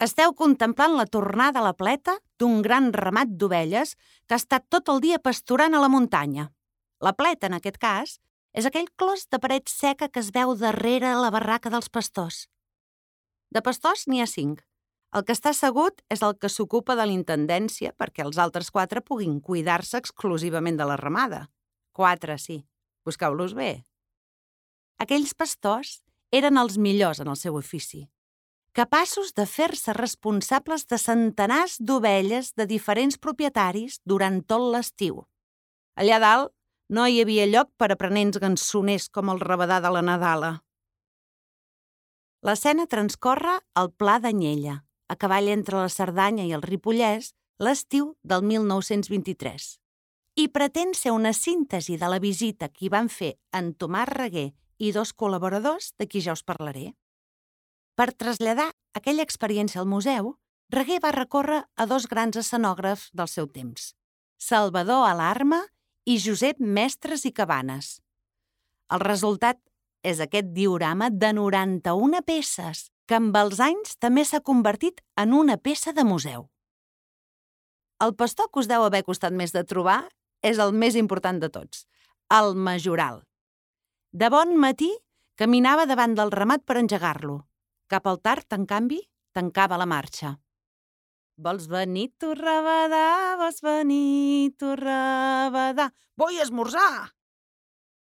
Esteu contemplant la tornada a la pleta d'un gran ramat d'ovelles que ha estat tot el dia pasturant a la muntanya. La pleta, en aquest cas, és aquell clos de paret seca que es veu darrere la barraca dels pastors. De pastors n'hi ha 5. El que està assegut és el que s'ocupa de l'intendència perquè els altres 4 puguin cuidar-se exclusivament de la ramada. 4, sí. Busqueu-los bé. Aquells pastors eren els millors en el seu ofici, capaços de fer-se responsables de centenars d'ovelles de diferents propietaris durant tot l'estiu. Allà dalt no hi havia lloc per a aprenents gansoners com el rabadà de la Nadala. L'escena transcorre al Pla d'Anyella, a cavall entre la Cerdanya i el Ripollès, l'estiu del 1923, i pretén ser una síntesi de la visita que hi van fer en Tomàs Reguer i 2 col·laboradors de qui ja us parlaré. Per traslladar aquella experiència al museu, Reguer va recórrer a 2 grans escenògrafs del seu temps, Salvador Alarma i Josep Mestres i Cabanes. El resultat és aquest diorama de 91 peces, que amb els anys també s'ha convertit en una peça de museu. El pastor que us deu haver costat més de trobar és el més important de tots, el majoral. De bon matí caminava davant del ramat per engegar-lo. Cap al tard, en canvi, tancava la marxa. Vols venir, tu rabadà, vols venir, tu rabadà. Vull esmorzar!